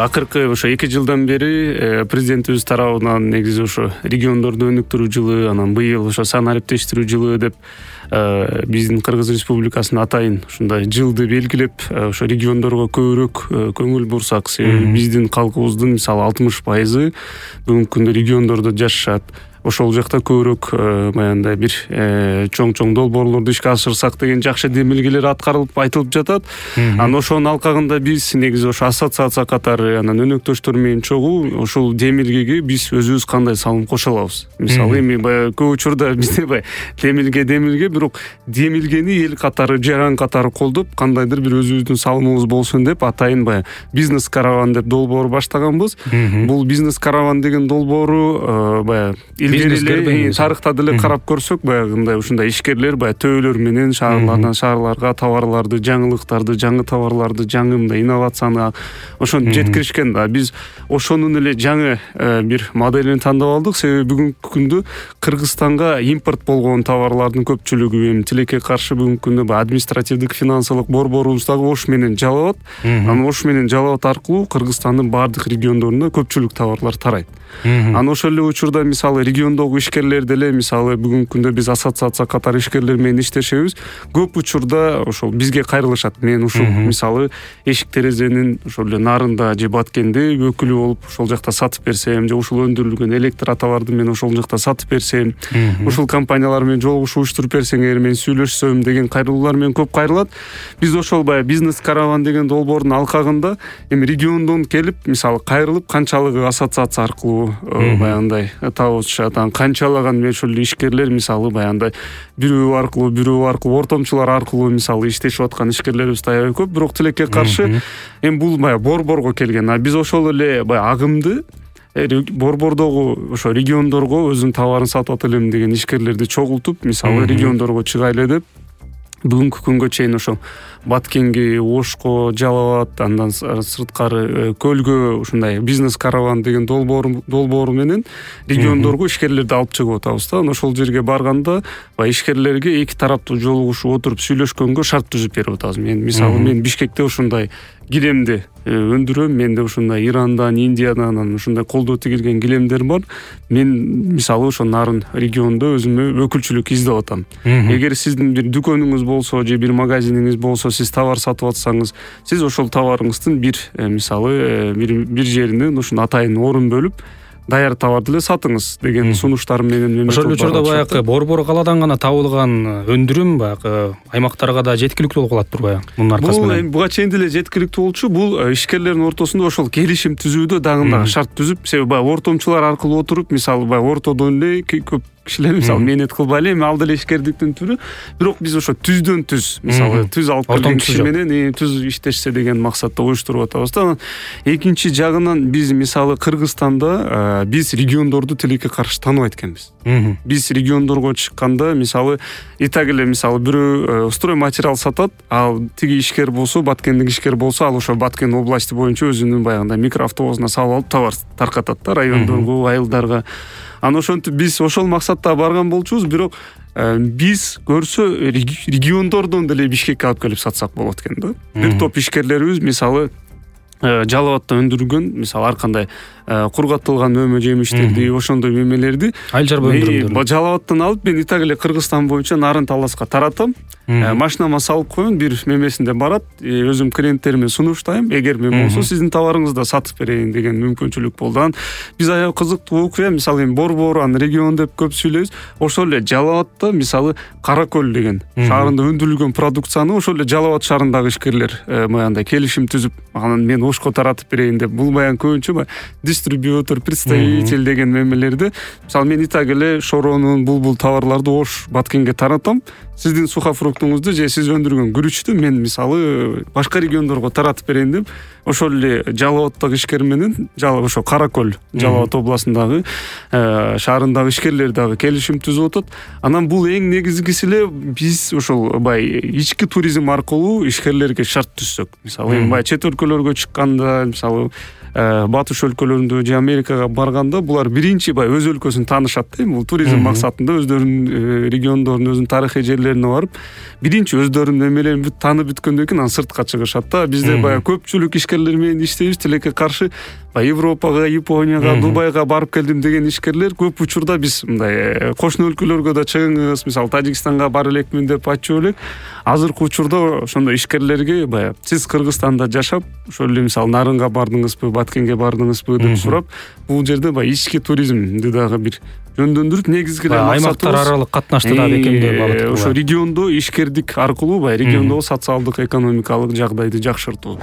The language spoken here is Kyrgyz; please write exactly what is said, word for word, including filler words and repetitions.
акыркы ошо эки жылдан бери президентибиз тарабынан негизи ошо региондорду өнүктүрүү жылы, анан быйыл ошо сан ариптештирүү жылы деп биздин Кыргыз Республикасынын атайын ушундай жылды белгилеп, ошо региондорго көбүрөөк көңүл бурсак, себеби биздин калкыбыздын мисалы алтымыш пайызы бүгүнкү күндө региондордо жашашат. Ошол жакта көбүрөөк баягындай бир чоң-чоң долбоорлорду ишке ашырсак деген жакшы демилгелер аткарылып айтылып жатат. Анан ошонун алкагында биз негизи ошо ассоциация катары анан өнөктөштөр менен чогуу ошол демилгеге биз өзүбүз кандай салым кошо алабыз. Мисалы эми баягы көп учурда бизде баягы демилге демилге бирок демилгени эл катары, жаран катары колдоп, кандайдыр бир өзүбүздүн салымыбыз болсун деп атайын баягы бизнес караван деп долбоор баштаганбыз. Бул бизнес караван деген долбоору баягы тарыхта деле карап көрсөк, баягындай ушундай ишкерлер баягы төбөлөр менен шаарлардан шаарларга товарларды, жаңылыктарды, жаңы товарларды, жаңы мындай инновацияны ошону жеткиришкен да. Биз ошонун эле жаңы бир моделин тандап алдык, себеби бүгүнкү күндө Кыргызстанга импорт болгон товарлардын көпчүлүгү эми тилекке каршы бүгүнкү күндө баягы административдик финансылык борборубуз дагы Ош менен Жалал абад. Анан Ош менен Жалал абад аркылуу Кыргызстандын бардык региондоруна көпчүлүк товарлар тарайт. Анан ошол эле учурда мисалы региондогу ишкерлер деле мисалы бүгүнкү күндө биз ассоциация катары ишкерлер менен иштешебиз. Көп учурда ошол бизге кайрылышат. Мен ушул мисалы эшик терезенин ошол эле нарында же Баткенде өкүлү болуп ошол жакта сатып берсем, же ушул өндүрүлгөн электр аталарды мен ошол жакта сатып берсем, ушул компаниялар менен жолугушуу уюштуруп берсеңер, мен сүйлөшсөм деген кайрылуулар менен көп кайрылат. Биз ошол баягы бизнес караван деген долбоордун алкагында эми региондон келип, мисалы кайрылып канчалыгы ассоциация аркылуу баягындай табышат, анан канчалаган ошол ишкерлер мисалы баягындай бирөө аркылуу бирөө аркылуу ортомчулар аркылуу мисалы иштешип аткан ишкерлерибиз аябай көп. Бирок тилекке каршы эми бул баягы борборго келген. А биз ошол эле баягы агымды борбордогу ошо региондорго өзүнүн товарын сатып атылем деген ишкерлерди чогултуп, мисалы региондорго чыгайлы деп бүгүнкү күнгө чейин ошо Баткенге, Ошко, Жалал абад, андан сырткары Көлгө ушундай бизнес караван деген долбоор долбоору менен региондорго ишкерлерди алып чыгып атабыз да. Ошол жерге барганда баягы ишкерлерге эки тараптуу жолугушуп отуруп сүйлөшкөнгө шарт түзүп берип атабыз. Мен мисалы мен Бишкекте ушундай килемди өндүрөм, менде ушундай Ирандан, Индиядан анан ушундай колдоо тигилген килемдер бар. Мен мисалы ошо нарын региондо өзүмө өкүлчүлүк издеп атам. Эгер сиздин бир дүкөнүңүз болсо же бир магазиниңиз болсо, сиз товар сатып атсаңыз, сиз ошол товарыңыздын бир мисалы бир бир жеринен ушуну атайын орун бөлүп даяр товарды эле сатыңыз деген сунуштар менен мен ошол учурда баягы борбор калаадан гана табылган өндүрүм баягы аймактарга да жеткиликтүү болуп калат турбайбы мунун аркасы менен? Бул буга чейин деле жеткиликтүү болчу. Бул ишкерлердин ортосунда ошол келишим түзүүдө дагы шарт түзүп, себеби баягы ортомчулар аркылуу отуруп, мисалы баягы ортодон эле көп кишилер мисалы мээнет кылбай эле, эми ал деле ишкердиктин түрү, бирок биз ошо түздөн түз мисалы түз алып келген киши менен түз иштешсе деген максатта уюштуруп атабыз да. Экинчи жагынан биз мисалы Кыргызстанда биз региондорду тилекке каршы тааныбайт экенбиз. Биз региондорго чыкканда мисалы и так эле мисалы бирөө строй материал сатат, ал тиги ишкер болсо, Баткендик ишкер болсо, ал ошо Баткен области боюнча өзүнүн баягындай микроавтобусуна салып алып товар таркатат да райондорго, айылдарга. Анан ошентип биз ошол максатта барган болчубуз, бирок биз көрсө региондордон деле Бишкекке алып келип сатсак болот экен да. Бир топ ишкерлерибиз мисалы Жалал абадта өндүрүлгөн мисалы ар кандай кургатылган өмө жемиштерди, ошондой мемелерди айыл чарба өндүрүмдөрү Жалал абадтан алып мен и так эле Кыргызстан боюнча нарын таласка таратам. Машинама салып коем, бир мемесинде барат, өзүм клиенттериме сунуштайм. Эгер мен болсо сиздин товарыңызды сатып берейин деген мүмкүнчүлүк болду. Анан биз аябай кызыктуу окуя, мисалы эми борбор, аны регион деп көп сүйлөйбүз. Ошол эле Жалал абадта мисалы Каракөл деген шаарында өндүрүлгөн продукцияны ошол эле Жалал абад шаарындагы ишкерлер баягындай келишим түзүп, анан мен Ошко таратып берейин деп, бул баягы көбүнчө дистрибьютор, представитель деген мемелерди. Мисалы мен и так эле Шоронун, Булбул товарларды Ош, Баткенге таратам. Сиздин сухофруктуңузду же сиз өндүргөн күрүчтү мен мисалы башка региондорго таратып берейин деп, ошол эле Жалал абадтагы ишкер менен ошо Каракөл, Жалал абад областындагы шаарындагы ишкерлер дагы келишим түзүп атат. Анан бул эң негизгиси эле биз ошол бай ички туризм аркылуу ишкерлерге шарт түзсөк. Мисалы эми бай чет өлкөлөргө чыкканда, мисалы батыш өлкөлөрүндө же Америкага барганда булар биринчи баягы өз өлкөсүн таанышат да, эми бул туризм максатында өздөрүнүн региондорунун өзүнүн тарыхый жерлерине барып биринчи өздөрүнүн эмелерин бүт таанып бүткөндөн кийин анан сыртка чыгышат да. Бизде баягы көпчүлүк ишкерлер менен иштейбиз, тилекке каршы баягы Европага, Японияга, Дубайга барып келдим деген ишкерлер көп учурда биз мындай кошуна өлкөлөргө да чыгыңыз, мисалы Тажикстанга бара элекмин деп айтчу элек. Азыркы учурда ошондой ишкерлерге баягы сиз Кыргызстанда жашап, ошол эле мисалы Нарынга бардыңызбы, Баткенге бардыңызбы деп сурап, бул жерде баягы ички туризмди дагы бир жөндөндүрүп, негизги эле максатыбыз аймактар аралык катнашты да бекемдөө багыты. Ошо региондо ишкердик аркылуу баягы региондогу социалдык, экономикалык жагдайды жакшыртуу.